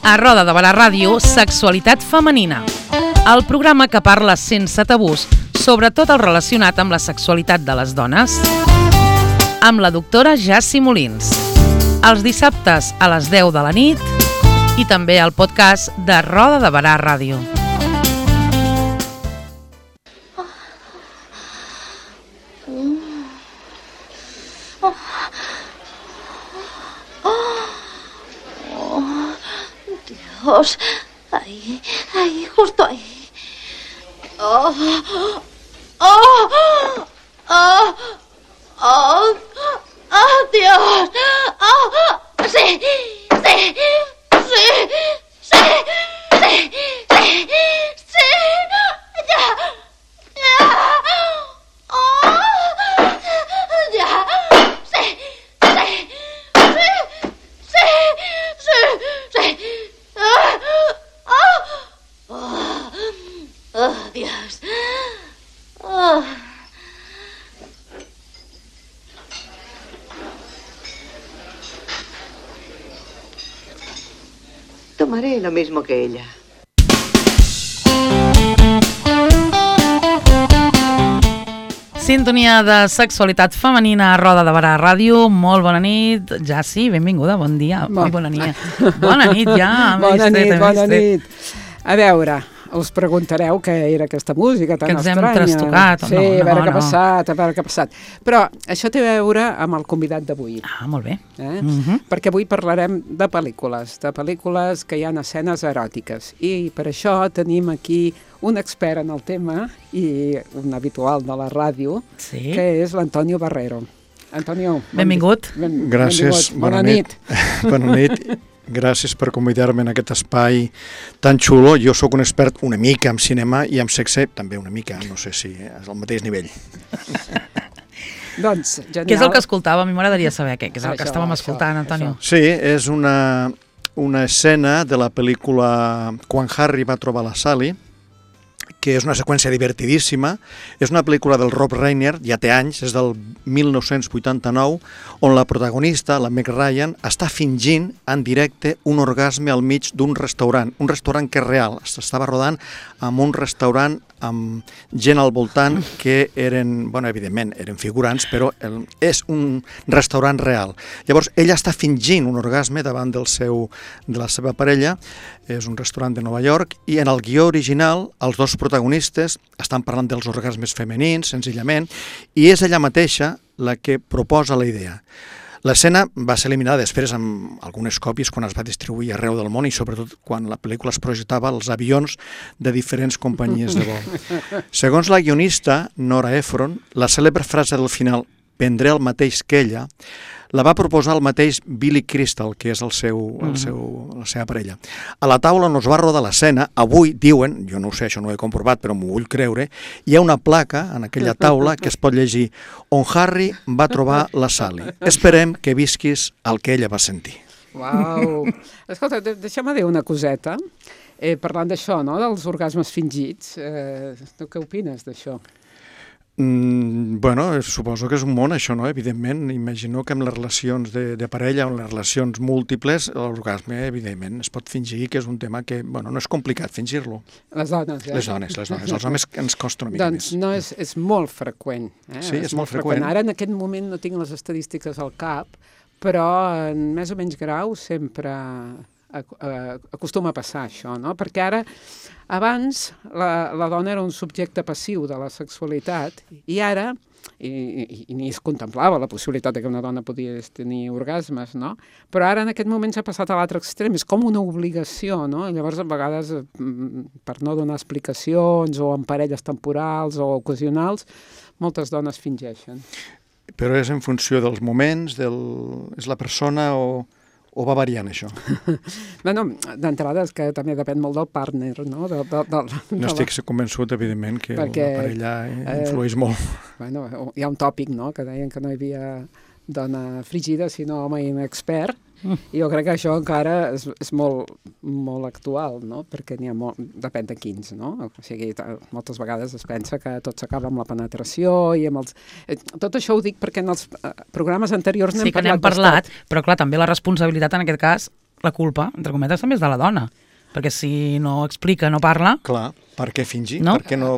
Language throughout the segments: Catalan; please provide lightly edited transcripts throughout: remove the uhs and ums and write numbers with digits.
A Roda de Barà Ràdio, Sexualitat Femenina. El programa que parla sense tabús sobre tot el relacionat amb la sexualitat de les dones. Amb la doctora Jassi Molins. Els dissabtes a les 10 de la nit i també al podcast de Roda de Barà Ràdio. Dios, ahí, justo ahí. Oh, oh, oh, oh, oh, Dios. Oh, sí, sí, sí, sí, sí, sí, sí, ya, ya, oh, ya, sí, sí, sí, sí, sí, sí. Oh, Dios. Oh. Tomaré lo mismo que ella. Sintonia de sexualitat femenina a Roda de Barà Ràdio. Molt bona nit. Jassi, benvinguda, bon dia. Bona nit. Bona nit, ja. Bona nit. A veure, us preguntareu què era aquesta música tan estranya. Que ens hem trastocat. Sí, a veure què ha passat, Però això té a veure amb el convidat d'avui. Ah, molt bé. Perquè avui parlarem de pel·lícules que hi ha escenes eròtiques. I per això tenim aquí un expert en el tema i un habitual de la ràdio, que és l'Antonio Barrero. Antonio, benvingut. Gràcies. Bona nit. Bona nit. Gràcies per convidar-me en aquest espai tan xulo. Jo sóc un expert una mica en cinema i en sexe també una mica, no sé si és al mateix nivell. Doncs, genial. Què és el que escoltava? A mi m'agradaria saber què és el que estàvem escoltant, Antonio. Sí, és una escena de la pel·lícula Quan Harry va trobar la Sally, que és una seqüència divertidíssima. És una pel·lícula del Rob Reiner, ja té anys, és del 1989, on la protagonista, la Meg Ryan, està fingint en directe un orgasme al mig d'un restaurant que és real. S'estava rodant en un restaurant amb gent al voltant que eren, bueno, evidentment, eren figurants, però és un restaurant real. Llavors, ella està fingint un orgasme davant de la seva parella, és un restaurant de Nova York, i en el guió original els dos protagonistes estan parlant dels orgasmes femenins, senzillament, i és ella mateixa la que proposa la idea. L'escena va ser eliminada després amb algunes còpies quan es va distribuir arreu del món i sobretot quan la pel·lícula es projectava als avions de diferents companyies de vol. Segons la guionista, Nora Ephron, la cèlebre frase del final "prendré el mateix que ella", la va proposar el mateix Billy Crystal, que és la seva parella. A la taula on es va rodar l'escena, avui diuen, jo no ho sé, això no ho he comprovat, però m'ho vull creure, hi ha una placa en aquella taula que es pot llegir "On Harry va trobar la Sally. Esperem que visquis el que ella va sentir". Uau! Escolta, deixa'm dir una coseta. Parlant d'això, no?, dels orgasmes fingits, tu què opines d'això? Bueno, suposo que és un món, això, no? Evidentment, imagino que amb les relacions de parella o en les relacions múltiples, l'orgasme, evidentment, es pot fingir, que és un tema que, bueno, no és complicat fingir-lo. Les dones, Les dones. Els homes ens costa una mica més. Doncs no, és molt freqüent. Sí, és molt freqüent. Ara, en aquest moment, no tinc les estadístiques al cap, però en més o menys grau sempre acostuma a passar això, no? Perquè ara, abans, la dona era un subjecte passiu de la sexualitat i ara, i ni es contemplava la possibilitat que una dona podia tenir orgasmes, no? Però ara en aquest moment s'ha passat a l'altre extrem, és com una obligació, no? I llavors a vegades, per no donar explicacions o en parelles temporals o ocasionals, moltes dones fingeixen. Però és en funció dels moments, és la persona o va variant això? Bueno, d'entrada és que també depèn molt del partner, no? No estic convençut, evidentment, que la parella influeix molt. Bueno, hi ha un tòpic, no?, que deien que no hi havia dona frigida, sinó home inexpert, i jo crec que això encara és molt, molt actual, no?, perquè n'hi ha molt, depèn de quins, no? O sigui, moltes vegades es pensa que tot s'acaba amb la penetració i amb els... Tot això ho dic perquè en els programes anteriors n'hem parlat. Sí que n'hem parlat, però clar, també la responsabilitat en aquest cas la culpa, entre cometes, també és de la dona. Perquè si no explica, no parla... Clar, per què fingir? No? Per què no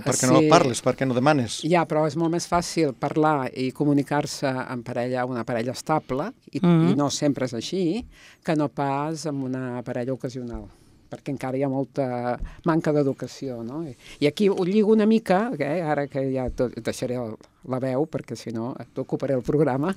parles? Per què no demanes? Ja, però és molt més fàcil parlar i comunicar-se en una parella estable, i no sempre és així, que no pas amb una parella ocasional, perquè encara hi ha molta manca d'educació, no? I aquí ho lligo una mica, ara que ja deixaré la veu, perquè si no t'ocuparé el programa,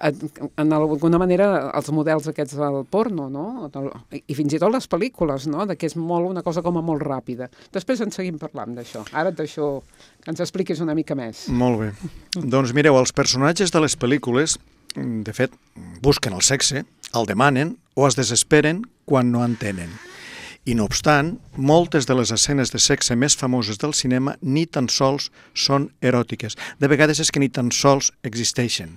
en alguna manera els models aquests del porno, no? I fins i tot les pel·lícules, no? Que és una cosa com a molt ràpida. Després en seguim parlant d'això. Ara et deixo que ens expliquis una mica més. Molt bé. Doncs mireu, els personatges de les pel·lícules, de fet, busquen el sexe, el demanen o es desesperen quan no en tenen. I no obstant, moltes de les escenes de sexe més famoses del cinema ni tan sols són eròtiques. De vegades és que ni tan sols existeixen.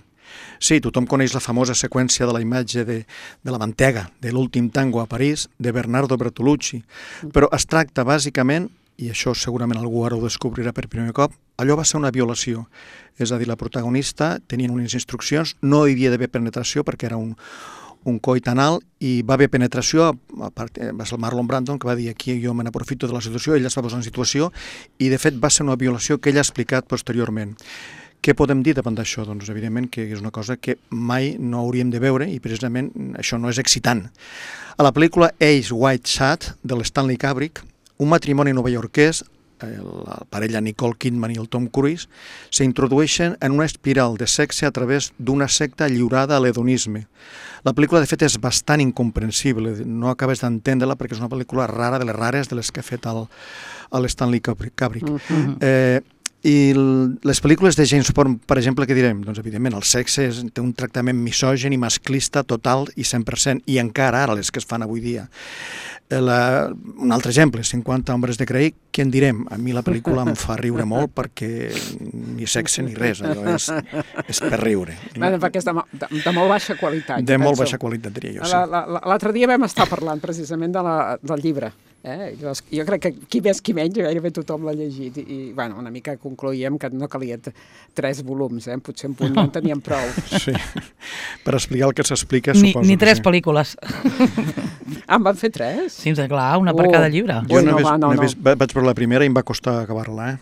Sí, tothom coneix la famosa seqüència de la imatge de la mantega, de l'últim tango a París, de Bernardo Bertolucci, però es tracta bàsicament, i això segurament algú ara ho descobrirà per primer cop, allò va ser una violació. És a dir, la protagonista tenien unes instruccions, no hi havia d'haver penetració perquè era un coit anal i va haver penetració, va ser el Marlon Brando que va dir aquí jo me n'aprofito de la situació, ella es va posar en situació i de fet va ser una violació que ella ha explicat posteriorment. Què podem dir davant d'això? Doncs evidentment que és una cosa que mai no hauríem de veure i precisament això no és excitant. A la pel·lícula Eyes Wide Shut de l'Stanley Kubrick, un matrimoni novaiorquès, la parella Nicole Kidman i el Tom Cruise, s'introdueixen en una espiral de sexe a través d'una secta lliurada a l'hedonisme. La pel·lícula, de fet, és bastant incomprensible, no acabes d'entendre-la perquè és una pel·lícula rara, de les rares de les que ha fet l'Stanley Kubrick. I les pel·lícules de James Bond, per exemple, què direm? Doncs, evidentment, el sexe té un tractament misògin i masclista total i 100%, i encara ara les que es fan avui dia. Un altre exemple, 50 hombres de Grey, què en direm? A mi la pel·lícula em fa riure molt perquè ni sexe ni res, allò és per riure. Perquè és de molt baixa qualitat. De molt baixa qualitat, diria jo, sí. L'altre dia vam estar parlant precisament del llibre. Jo crec que qui més qui menys, gairebé tothom l'ha llegit i una mica concloïem que no calia 3 volums, potser un punt no en teníem prou. Sí, per explicar el que s'explica suposo. Ni 3 pel·lícules. En van fer 3? Sí, clar, una per cada llibre. Jo vaig veure la primera i em va costar acabar-la,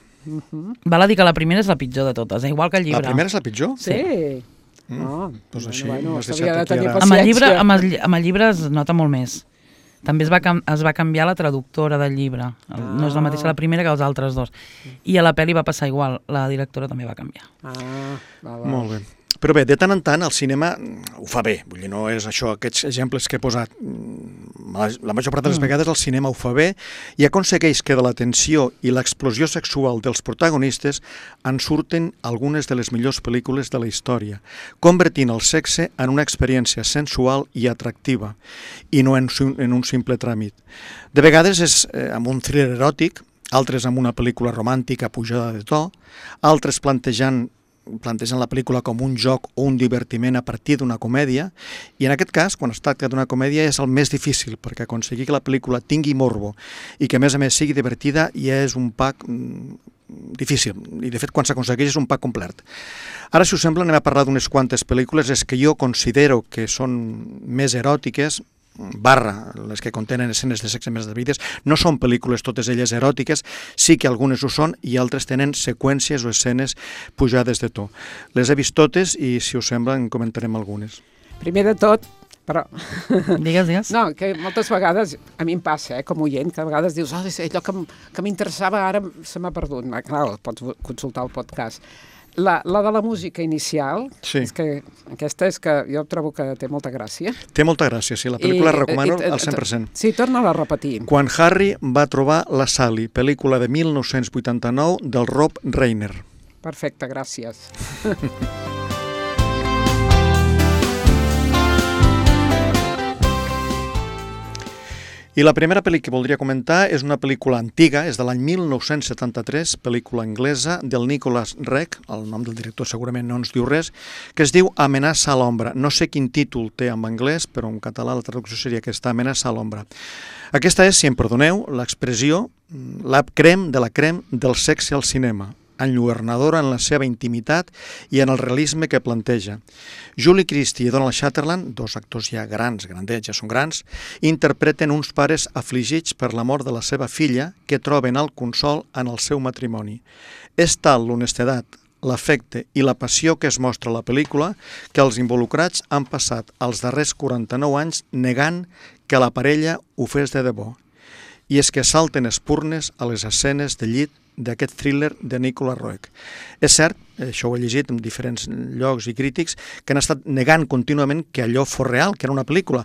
Val a dir que la primera és la pitjor de totes, igual que el llibre. La primera és la pitjor? Sí. Doncs així m'has s'havia de deixat tenir aquí ara. paciència. Amb el llibre es nota molt més. També es va canviar la traductora del llibre. No és la mateixa la primera que els altres dos. I a la pel·li va passar igual. La directora també va canviar. Molt bé. Però bé, de tant en tant el cinema ho fa bé. Vull dir, no és això, aquests exemples que he posat. La major part de les vegades el cinema ho fa bé i aconsegueix que de la tensió i l'explosió sexual dels protagonistes en surten algunes de les millors pel·lícules de la història, convertint el sexe en una experiència sensual i atractiva, i no en un simple tràmit. De vegades és amb un thriller eròtic, altres amb una pel·lícula romàntica pujada de to, altres plantejant la pel·lícula com un joc o un divertiment a partir d'una comèdia, i en aquest cas, quan es tracta d'una comèdia, és el més difícil, perquè aconseguir que la pel·lícula tingui morbo i que a més sigui divertida ja és un pack difícil, i de fet quan s'aconsegueix és un pack complet. Ara, si us sembla, anem a parlar d'unes quantes pel·lícules que jo considero que són més eròtiques, les que contenen escenes de sexe més devides. No són pel·lícules totes elles eròtiques, sí que algunes ho són i altres tenen seqüències o escenes pujades de to. Les he vist totes i, si us sembla, en comentarem algunes. Primer de tot, però... Digues. No, que moltes vegades, a mi em passa, com oient, que a vegades dius, allò que m'interessava ara se m'ha perdut. Clar, pots consultar el podcast. La de la música inicial, sí. És que aquesta és que jo trobo que té molta gràcia. Té molta gràcia, sí, la pel·lícula la recomano al 100%. Sí, torna-la a repetir. Quan Harry va trobar la Sally, pel·lícula de 1989 del Rob Reiner. Perfecte, gràcies. I la primera pel·lícula que voldria comentar és una pel·lícula antiga, és de l'any 1973, pel·lícula anglesa del Nicholas Roeg, el nom del director segurament no ens diu res, que es diu Amenaça a l'ombra. No sé quin títol té en anglès, però en català la traducció seria aquesta, Amenaça a l'ombra. Aquesta és, si em perdoneu, l'expressió, la crème de la crème del sexe al cinema. enlluernadora en la seva intimitat i en el realisme que planteja. Julie Christie i Donald Sutherland, dos actors ja grans, grandets, ja són grans, interpreten uns pares afligits per la mort de la seva filla que troben el consol en el seu matrimoni. És tal l'honestedat, l'afecte i la passió que es mostra a la pel·lícula que els involucrats han passat els darrers 49 anys negant que la parella ho fes de debò. I és que salten espurnes a les escenes de llit d'aquest thriller de Nicolas Roeg. És cert, això ho he llegit en diferents llocs i crítics, que han estat negant contínuament que allò fos real, que era una pel·lícula.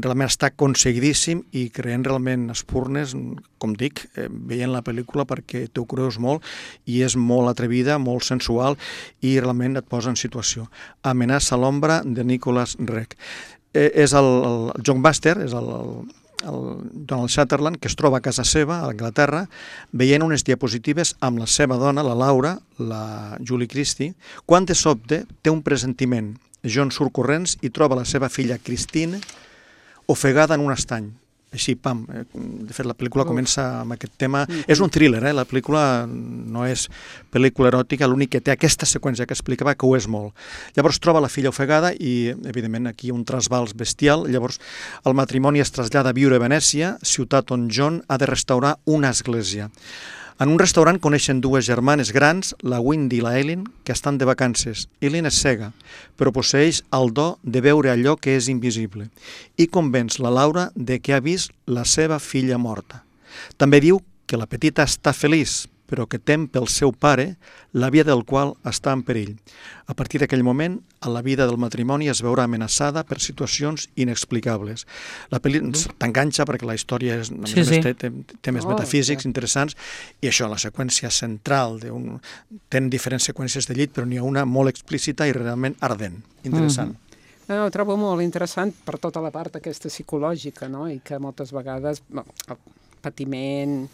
Realment està aconseguidíssim i creant realment espurnes, com dic, veient la pel·lícula perquè t'ho creus molt i és molt atrevida, molt sensual i realment et posa en situació. Amenaça a l'ombra de Nicolas Roeg. És el John Buster, és el Donald Sutherland, que es troba a casa seva, a Anglaterra, veient unes diapositives amb la seva dona, la Laura, la Julie Christie, quan de sobte té un presentiment. John surt corrents i troba la seva filla Christine ofegada en un estany. Així, pam. De fet, la pel·lícula comença amb aquest tema. És un thriller, la pel·lícula no és pel·lícula eròtica, l'únic que té aquesta seqüència que explicava que ho és molt. Llavors troba la filla ofegada i, evidentment, aquí un trasbals bestial. Llavors el matrimoni es trasllada a viure a Venècia, ciutat on John ha de restaurar una església. En un restaurant coneixen dues germanes grans, la Wendy i la Eileen, que estan de vacances. Eileen és cega, però posseeix el do de veure allò que és invisible i convenç la Laura de que ha vist la seva filla morta. També diu que la petita està feliç, però que tem pel seu pare, la vida del qual està en perill. A partir d'aquell moment, la vida del matrimoni es veurà amenaçada per situacions inexplicables. La pel·lícula t'enganxa perquè la història és, té temes metafísics interessants i això, la seqüència central, tenen diferents seqüències de llit, però n'hi ha una molt explícita i realment ardent, interessant. No, ho trobo molt interessant per tota la part aquesta psicològica, no? I que moltes vegades el patiment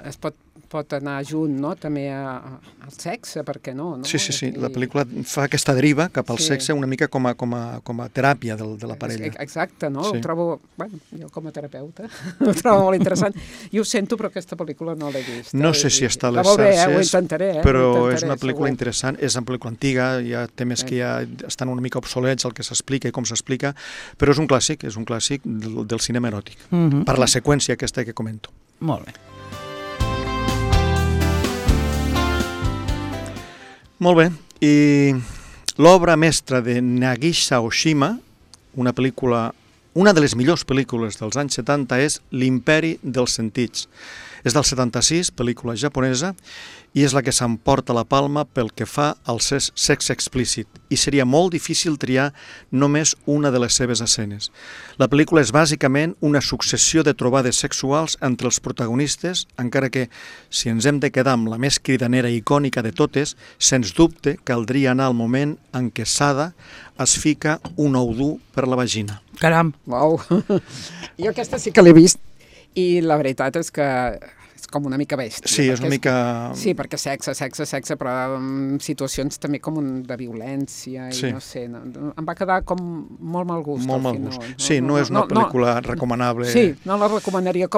es pot anar junt, no? També al sexe, per què no? Sí. La pel·lícula fa aquesta deriva cap al sexe una mica com a teràpia de la parella. Exacte, no? Ho trobo, jo com a terapeuta, ho trobo molt interessant. I ho sento, però aquesta pel·lícula no l'he vist. No sé si està a les xarxes, ho intentaré. Però és una pel·lícula interessant, és una pel·lícula antiga, hi ha temes que ja estan una mica obsolets, el que s'explica i com s'explica, però és un clàssic del cinema eròtic, per la seqüència aquesta que comento. Molt bé. Molt bé, i l'obra mestra de Nagisa Oshima, una de les millors pel·lícules dels anys 70 és L'imperi dels sentits. És del 76, pel·lícula japonesa, i és la que s'emporta la palma pel que fa al sexe explícit, i seria molt difícil triar només una de les seves escenes. La pel·lícula és bàsicament una successió de trobades sexuals entre els protagonistes, encara que, si ens hem de quedar amb la més cridanera i icònica de totes, sens dubte caldria anar al moment en què Sada es fica un ou dur per la vagina. Caram! Uau! Jo aquesta sí que l'he vist, i la veritat és que és com una mica bèstia. Sí, és una mica... Sí, perquè sexe, però en situacions també com de violència, i no sé, em va quedar com molt mal gust. Molt mal gust. Sí, no és una pel·lícula recomanable. Sí, no la recomanaria.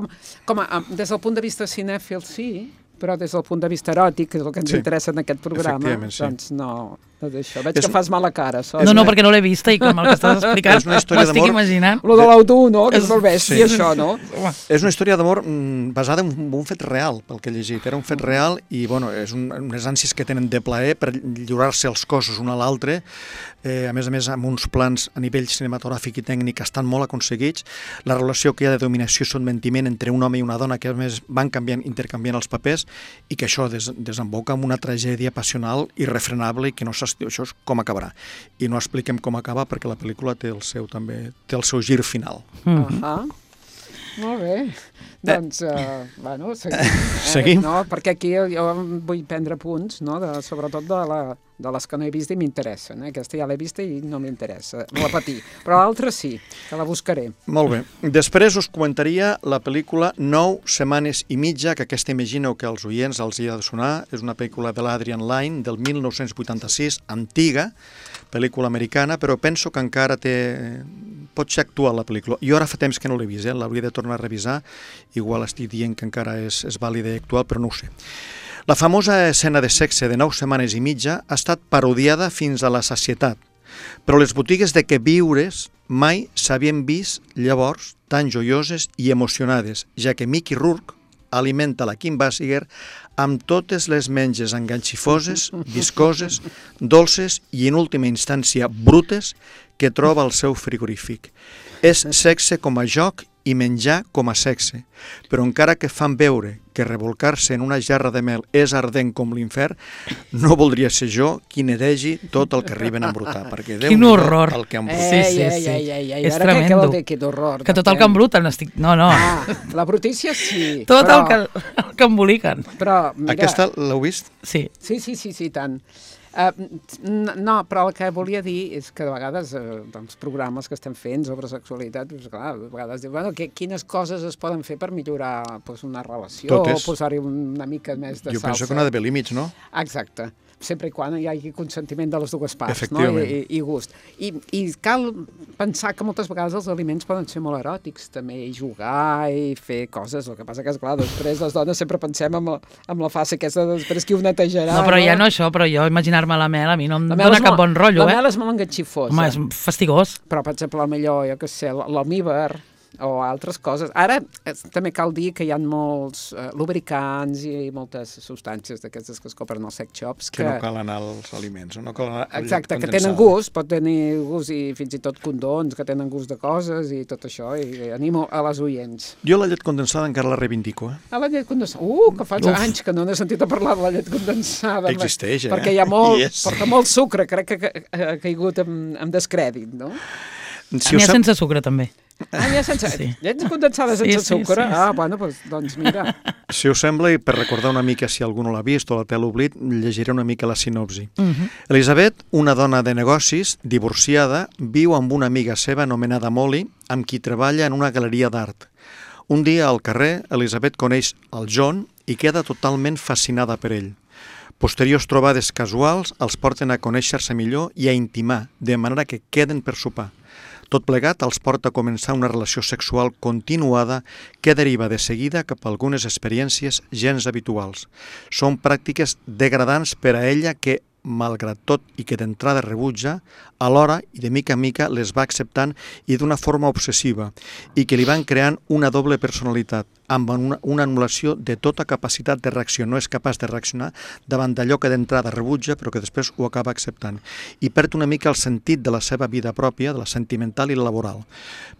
Des del punt de vista cinèfil, sí, però des del punt de vista eròtic, que és el que ens interessa en aquest programa, doncs no d'això. Veig que fas mala cara. No, perquè no l'he vista i com el que estàs explicant m'ho estic imaginant. Lo de l'auto, no? Que és molt bèstia, això, no? És una història d'amor basada en un fet real, pel que he llegit. Era un fet real i, bueno, és unes ànsies que tenen de plaer per lliurar-se els cossos un a l'altre. A més, amb uns plans a nivell cinematogràfic i tècnic estan molt aconseguits. La relació que hi ha de dominació i sotmetiment entre un home i una dona que, a més, van intercanviant els papers i que això desemboca en una tragèdia passional irrefrenable i que no s'estiu, això és com acabarà. I no expliquem com acaba perquè la pel·lícula té el seu gir final. Molt bé. Doncs, bueno, seguim. No, perquè aquí jo vull prendre punts, no? Sobretot de les que no he vist i m'interessen. Aquesta ja l'he vista i no m'interessa repetir. Però l'altra sí, que la buscaré. Molt bé. Després us comentaria la pel·lícula 9 setmanes i mitja, que aquesta imagino que als oients els hi ha de sonar. És una pel·lícula de l'Adrian Lyne del 1986, antiga, pel·lícula americana, però penso que encara pot ser actual la pel·lícula. Jo ara fa temps que no l'he vist, l'hauria de tornar a revisar, igual estic dient que encara és vàlida i actual, però no ho sé. La famosa escena de sexe de 9 setmanes i mitja ha estat parodiada fins a la sacietat, però les botigues de queviures mai s'havien vist llavors tan joioses i emocionades, ja que Mickey Rourke alimenta la Kim Basinger amb totes les menges enganxifoses, viscoses, dolces i, en última instància, brutes que troba al seu frigorífic. És sexe com a joc i menjar com a sexe, però encara que fan veure que revolcar-se en una gerra de mel és ardent com l'infern, no voldria ser jo qui nedegi tot el que arriben a embrutar, perquè Quin horror. El que embruta. Sí. És Ara què tremendo. vol dir aquest horror? Que tot el que embruten estic... No. La brutícia sí. Tot però, el que emboliquen. Però, mira... Aquesta l'heu vist? Sí. Sí, tant. No, però el que volia dir és que de vegades els programes que estem fent sobre sexualitat, doncs, clar, a vegades diuen, bueno, quines coses es poden fer per millorar doncs, una relació, Totes. o posar-hi una mica més de Jo salsa. penso que no ha d'haver límits, no? Exacte, sempre i quan hi hagi consentiment de les dues parts, no? Efectivament. I gust. I cal pensar que moltes vegades els aliments poden ser molt eròtics també, i jugar i fer coses. El que passa que, esclar, després les dones sempre pensem amb la fase aquesta de després qui ho netejarà. No, però ja no això, però jo imaginar-me la mel a mi no em La mel dóna és cap molt- bon rotllo, La mel és molt enganxifosa. Home, és fastigós. Però, per exemple, millor, jo què sé, l'almíbar o altres coses. Ara també cal dir que hi ha molts lubricants i moltes substàncies d'aquestes que es compren als sex shops Que no cal anar als aliments, no cal anar al exacte, llet que condensada. tenen gust, pot tenir gust i fins i tot condons que tenen gust de coses i tot això, i animo a les oients. Jo la llet condensada encara la reivindico, A la llet condensada, que fa anys que no n'he sentit a parlar de la llet condensada. Existeix, Perquè hi ha molt, Yes. porta molt sucre, crec que ha caigut en descrèdit, no? Si N'hi us ha sap- sense sucre, també. Ja sense... Sí. Llet condensada sense Sí, sucre? sí. Bueno, doncs mira... Si us sembla, i per recordar una mica si algú no l'ha vist o la té a l'oblit, llegiré una mica la sinopsi. Elisabet, una dona de negocis, divorciada, viu amb una amiga seva anomenada Molly, amb qui treballa en una galeria d'art. Un dia al carrer, Elisabet coneix el John i queda totalment fascinada per ell. Posteriors trobades casuals els porten a conèixer-se millor i a intimar, de manera que queden per sopar. Tot plegat els porta a començar una relació sexual continuada que deriva de seguida cap a algunes experiències gens habituals. Són pràctiques degradants per a ella que, malgrat tot i que d'entrada rebutja, alhora i de mica en mica les va acceptant i d'una forma obsessiva i que li van creant una doble personalitat amb una anul·lació de tota capacitat de reacció. No és capaç de reaccionar davant d'allò que d'entrada rebutja però que després ho acaba acceptant i perd una mica el sentit de la seva vida pròpia, de la sentimental i la laboral.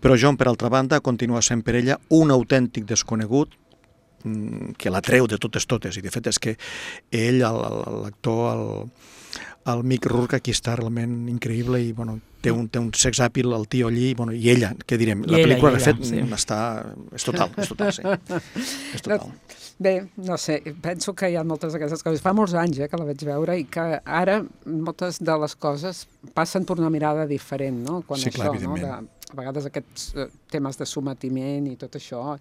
Però John, per altra banda, continua sent per ella un autèntic desconegut que l'atreu de totes, i de fet és que ell, l'actor, el Mick Rourke, aquí està realment increïble i bueno, té un sex appeal al tio allí, bueno, i ella, què direm, la pel·lícula de fet sí. és total, sí. És total. Bé, no sé, penso que hi ha moltes d'aquestes coses. Fa molts anys que la vaig veure i que ara moltes de les coses passen per una mirada diferent, no? Quan Sí, clar, això, evidentment. no? A vegades aquests temes de sometiment i tot això,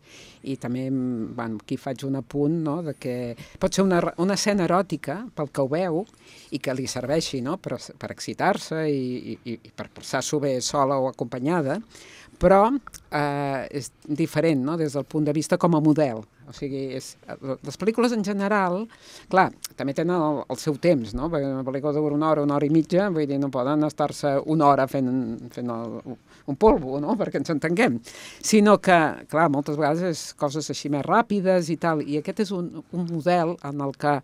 i també, bueno, aquí faig un apunt, no?, de que pot ser una escena eròtica pel que ho veu i que li serveixi, no?, per excitar-se i per passar-s'ho bé sola o acompanyada, però és diferent, no?, des del punt de vista com a model. O sigui, les pel·lícules en general, clar, també tenen el seu temps, no? Perquè una pel·lícula dura una hora i mitja, vull dir, no poden estar-se una hora fent un polvo, no?, perquè ens entenguem. Sinó que, clar, moltes vegades és coses així més ràpides i tal, i aquest és un model en el que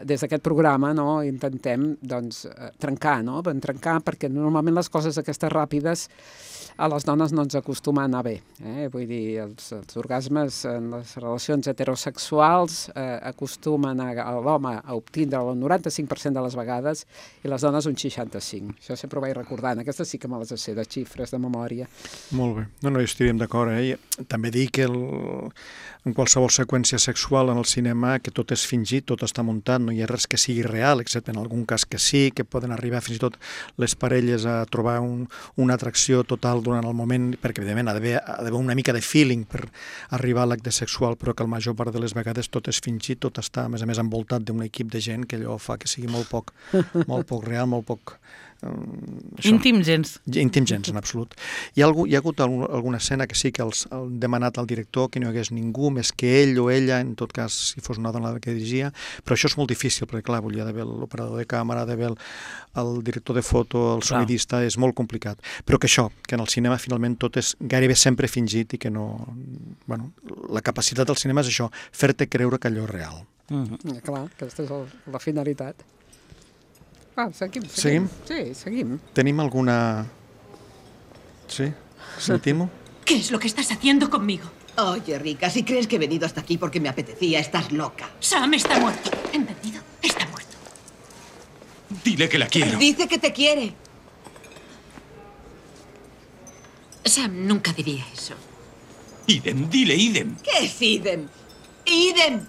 des d'aquest programa, no?, intentem, doncs, trencar, no?, trencar, perquè normalment les coses aquestes ràpides a les dones no ens acostuma a anar bé. Vull dir, els orgasmes en les relacions heterosexuals acostumen a l'home a obtindre el 95% de les vegades i les dones un 65%. Això sempre ho vaig recordant. Aquestes sí que me les sé de xifres de memòria. Molt bé. No, estaríem d'acord, I també dir que en qualsevol seqüència sexual en el cinema que tot és fingit, tot està muntat, no hi ha res que sigui real, excepte en algun cas que sí, que poden arribar fins i tot les parelles a trobar una atracció total durant el moment, perquè evidentment ha d'haver una mica de feeling per arribar a l'acte sexual, però que la major part de les vegades tot és fingit, tot està, a més envoltat d'un equip de gent que allò fa que sigui molt poc real, molt poc Íntim gens. Íntim gens, en absolut. Hi ha hagut alguna escena que sí que han demanat al director que no hi hagués ningú més que ell o ella, en tot cas si fos una dona la que dirigia, però això és molt difícil, perquè clar, hi ha d'haver l'operador de càmera, d'haver el director de foto, el sonidista, és molt complicat. Però que això, que en el cinema finalment tot és gairebé sempre fingit i que no... Bueno, la capacitat del cinema és això, fer-te creure que allò és real. Clar, aquesta és la finalitat. Seguim. Seguim? Sí, seguim. ¿Tenim alguna...? Sí, sentimos. ¿Qué es lo que estás haciendo conmigo? Oye, Rika, si crees que he venido hasta aquí porque me apetecía, estás loca. Sam está muerto. ¿Entendido? Está muerto. Dile que la quiero. Dice que te quiere. Sam nunca diría eso. Idem, dile idem. ¿Qué es idem? ¡Idem!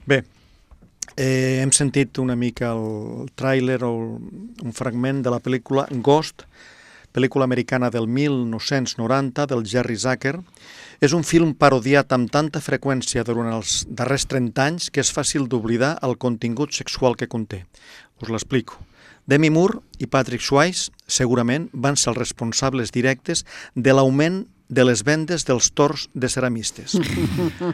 Bé, hem sentit una mica el tràiler o un fragment de la pel·lícula Ghost, pel·lícula americana del 1990 del Jerry Zucker. És un film parodiat amb tanta freqüència durant els darrers 30 anys que és fàcil d'oblidar el contingut sexual que conté. Us l'explico. Demi Moore i Patrick Swayze segurament van ser els responsables directes de l'augment de les vendes dels tors de ceramistes.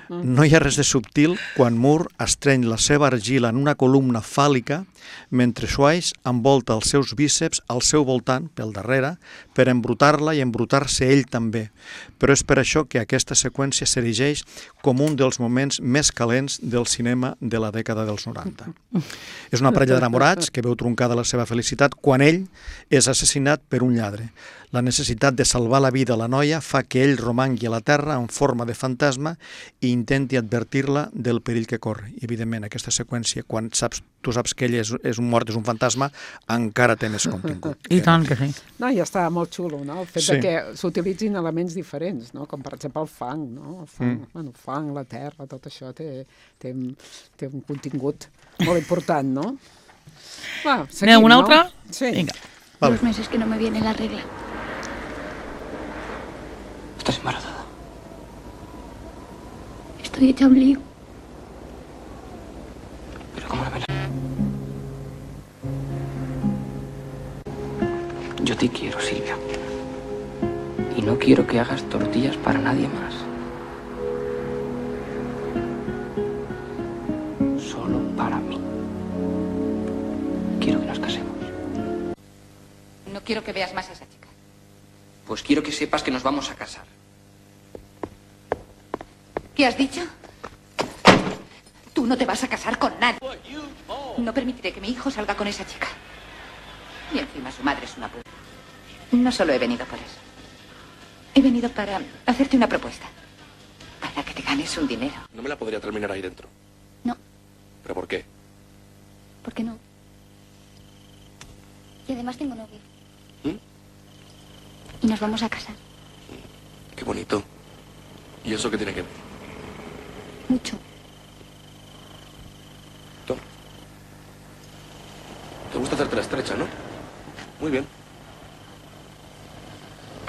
No hi ha res de subtil quan Moore estreny la seva argila en una columna fàl·lica mentre Swayze envolta els seus bíceps al seu voltant, pel darrere, per embrutar-la i embrutar-se ell també. Però és per això que aquesta seqüència s'erigeix com un dels moments més calents del cinema de la dècada dels 90. És una parella d'enamorats que veu truncada la seva felicitat quan ell és assassinat per un lladre. La necessitat de salvar la vida a la noia fa que ell romangui a la terra en forma de fantasma i intenti advertir-la del perill que corre. I, evidentment, aquesta seqüència, quan tu saps que ell és un mort, és un fantasma, encara té més contingut. I tant que sí. No, i està molt xulo, no? El fet de que s'utilitzin elements diferents, no? Com per exemple el fang, no? El fang, la terra, tot això té un contingut molt important, no? Va, seguim, ¿Aneu una altra? Sí. Vinga. Vale. Los meses que no me viene la regla. ¿Estás embarazada? Estoy hecha un lío. ¿Pero cómo la ves? Yo te quiero, Silvia. Y no quiero que hagas tortillas para nadie más. Solo para mí. Quiero que nos casemos. No quiero que veas más a esa chica. Pues quiero que sepas que nos vamos a casar. ¿Qué has dicho? Tú no te vas a casar con nadie. No permitiré que mi hijo salga con esa chica. Y encima su madre es una puta. No solo he venido por eso. He venido para hacerte una propuesta. Para que te ganes un dinero. No me la podría terminar ahí dentro. No. ¿Pero por qué? ¿Por qué no? Y además tengo novio. Y nos vamos a casar. Qué bonito. ¿Y eso qué tiene que ver? Mucho. Toma. Te gusta hacerte la estrecha, ¿no? Muy bien.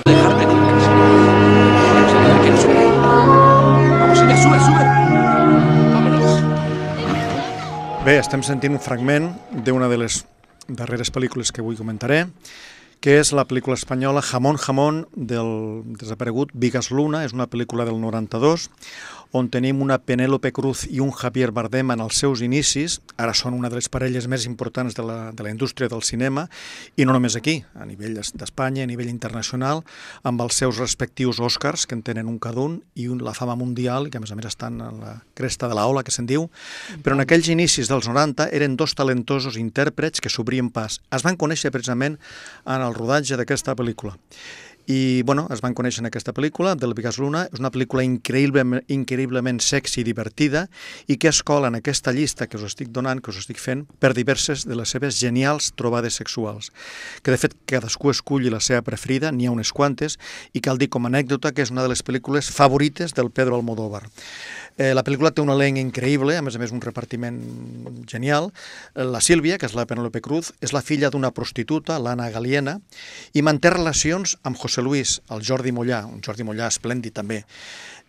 Dejar venir. Vamos allá, sube. Vámonos. Bé, estem sentint un fragment d'una de les darreres pel·lícules que avui comentaré, que és la pel·lícula espanyola Jamón, Jamón, del desaparegut Vigas Luna. És una pel·lícula del 92, on tenim una Penélope Cruz i un Javier Bardem en els seus inicis. Ara són una de les parelles més importants de la indústria del cinema, i no només aquí, a nivell d'Espanya, a nivell internacional, amb els seus respectius Oscars, que en tenen un cada un, i la fama mundial, que a més estan a la cresta de la ola, que se'n diu. Però en aquells inicis dels 90 eren dos talentosos intèrprets que s'obrien pas. Es van conèixer precisament en el rodatge d'aquesta pel·lícula. I, bueno, es van conèixer en aquesta pel·lícula, del Bigas Luna. És una pel·lícula increïblement sexy i divertida i que es cola en aquesta llista que us estic donant, que us estic fent, per diverses de les seves genials trobades sexuals. Que, de fet, cadascú esculli la seva preferida, n'hi ha unes quantes, i cal dir com a anècdota que és una de les pel·lícules favorites del Pedro Almodóvar. La pel·lícula té un elenc increïble, a més un repartiment genial. La Sílvia, que és la Penélope Cruz, és la filla d'una prostituta, l'Anna Galiena, i manté relacions amb José Luis, el Jordi Mollà, un Jordi Mollà esplèndid també.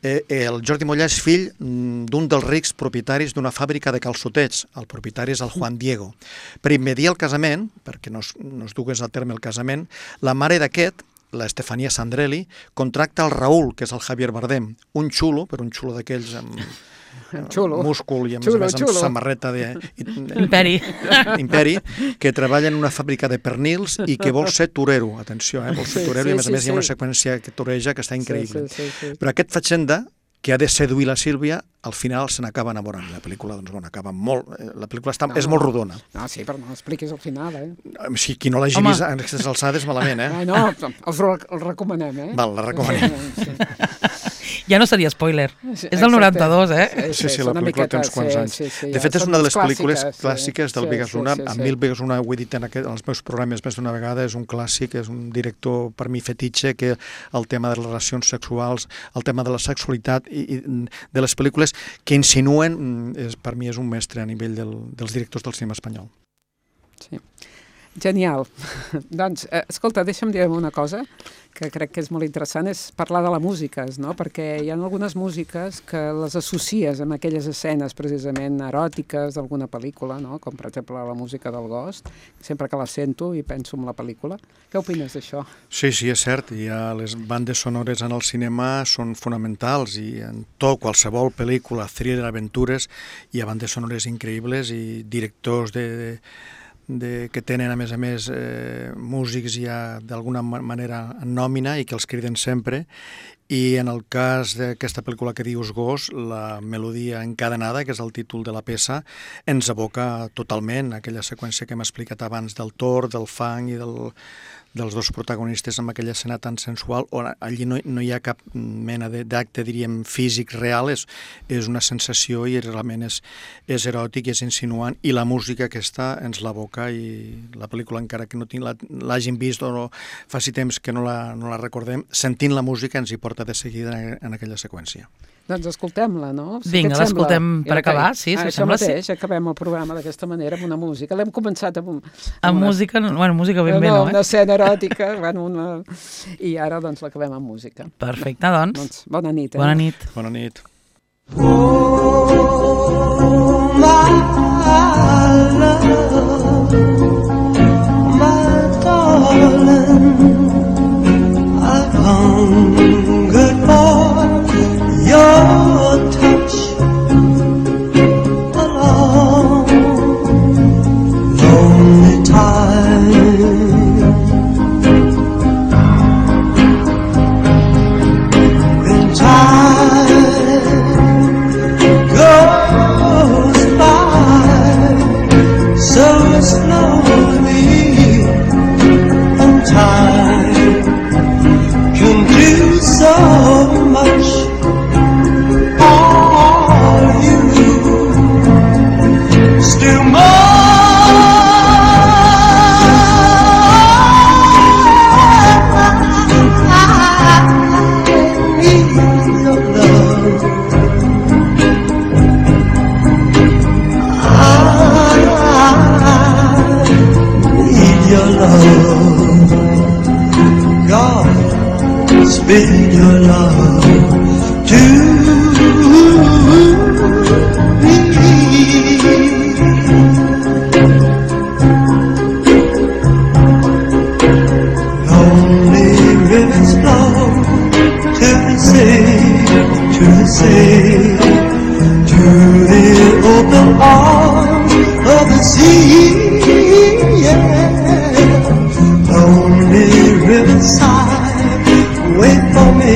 El Jordi Mollà és fill d'un dels rics propietaris d'una fàbrica de calçotets. El propietari és el Juan Diego. Per immediar el casament, perquè no es dugués a terme el casament, la mare d'aquest, la Estefania Sandrelli, contracta el Raúl, que és el Javier Bardem, un xulo, però un xulo d'aquells amb múscul i a més amb samarreta d'Imperi, que treballa en una fàbrica de pernils i que vol ser torero, atenció, vol ser torero, i a més hi ha una seqüència que toreja que està increïble. Però aquest fatxenda, que ha de seduir la Sílvia, al final se n'acaba enamorant. La pel·lícula, doncs, bueno, acaba molt... La pel·lícula és molt rodona. No, sí, però no expliquis al final, Si qui no l'hagi vist en aquestes alçades, malament, No, el recomanem, Val, la recomanem. Ja no seria spoiler. És del 92, Sí, la pel·lícula té uns quants anys. De fet, és una de les pel·lícules clàssiques del Bigas Luna. A mi el Bigas Luna, ho he dit en els meus programes més d'una vegada, és un clàssic, és un director, per mi, fetitxe, que el tema de les relacions sexuals, el tema de la sexualitat i de les pel·lícules que insinuen, per mi és un mestre a nivell dels directors del cinema espanyol. Sí. Genial. Doncs, escolta, deixa'm dir una cosa que crec que és molt interessant, és parlar de la música, no? Perquè hi ha algunes músiques que les associes amb aquelles escenes precisament eròtiques d'alguna pel·lícula, no? Com per exemple la música del Ghost, sempre que la sento i penso en la pel·lícula. Què opines d'això? Sí, és cert, les bandes sonores en el cinema són fonamentals i en qualsevol pel·lícula, thriller, aventures, hi ha bandes sonores increïbles i directors que tenen, a més, músics ja d'alguna manera en nòmina i que els criden sempre. I en el cas d'aquesta pel·lícula que dius Ghost, la melodia encadenada, que és el títol de la peça, ens aboca totalment aquella seqüència que hem explicat abans del tor, del fang i dels dos protagonistes amb aquella escena tan sensual, on allí no hi ha cap mena d'acte, diríem, físic real, és una sensació i realment és eròtic i és insinuant, i la música aquesta ens l'aboca, i la pel·lícula, encara que no l'hagin vist o faci temps que no la recordem, sentint la música ens hi porta de seguida en aquella seqüència. Doncs escoltem-la, no? Vinga, l'escoltem per acabar, sí, si això mateix, acabem el programa d'aquesta manera amb una música. L'hem començat amb música, música ben bé, no? Una escena eròtica, i ara doncs l'acabem amb música. Perfecte, doncs. Bona nit. Bona nit. Bona nit. Oh, my love, my darling, I've hungered for your touch a long, lonely time. When time goes by so slowly, and time can do so much. Still more, I need your love. I need your love. God, speak your love to to the sea, to the open arms of the sea, yeah. Lonely riverside, wait for me,